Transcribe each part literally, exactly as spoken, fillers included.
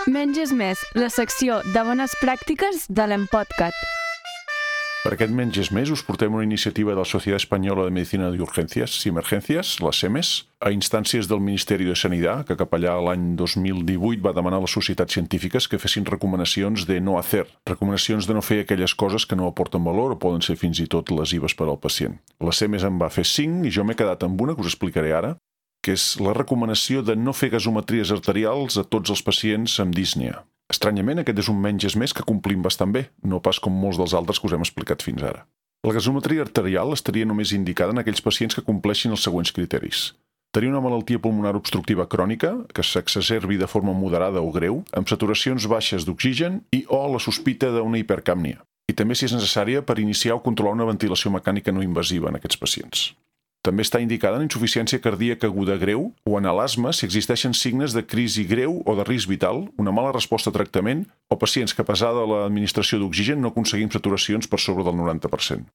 Menys és més, la secció de bones pràctiques de l'Empodcat. Per aquest Menys és més us portem una iniciativa de la Societat Espanyola de Medicina de Urgencias y Emergencias, la SEMES, a instàncies del Ministeri de Sanitat, que cap allà l'any dos mil divuit va demanar a les societats científiques que fessin recomanacions de no hacer, recomanacions de no fer aquelles coses que no aporten valor o poden ser fins i tot lesives per al pacient. La SEMES en va fer cinc i jo m'he quedat amb una que us explicaré ara, que és la recomanació de no fer gasometries arterials a tots els pacients amb dísnia. Estranyament, aquest és un menys és més que complim bastant bé, no pas com molts dels altres que us hem explicat fins ara. La gasometria arterial estaria només indicada en aquells pacients que compleixin els següents criteris. Tenir una malaltia pulmonar obstructiva crònica, que s'exacerbi de forma moderada o greu, amb saturacions baixes d'oxigen i o la sospita d'una hipercàpnia. I també, si és necessària, per iniciar o controlar una ventilació mecànica no invasiva en aquests pacients. També està indicada en insuficiència cardíaca aguda greu o en l'asma si existeixen signes de crisi greu o de risc vital, una mala resposta a tractament o pacients que, a pesar de l'administració d'oxigen, no aconseguim saturacions per sobre del noranta per cent.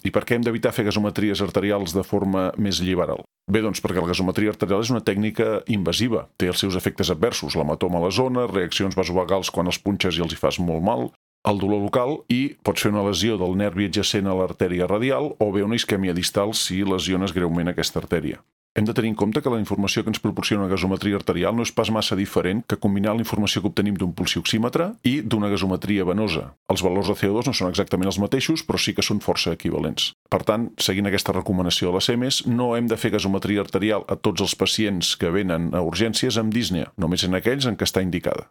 I per què hem d'evitar fer gasometries arterials de forma més liberal? Bé, doncs perquè la gasometria arterial és una tècnica invasiva, té els seus efectes adversos, l'hematoma a la zona, reaccions vasovagals quan els punxes i els hi fas molt mal, el dolor local i pots fer una lesió del nervi adjacent a l'artèria radial o bé una isquèmia distal si lesiones greument aquesta artèria. Hem de tenir en compte que la informació que ens proporciona una gasometria arterial no és pas massa diferent que combinar la informació que obtenim d'un pulsioxímetre i d'una gasometria venosa. Els valors de C O dos no són exactament els mateixos, però sí que són força equivalents. Per tant, seguint aquesta recomanació de la SEMES, no hem de fer gasometria arterial a tots els pacients que venen a urgències amb dísnia, només en aquells en què està indicada.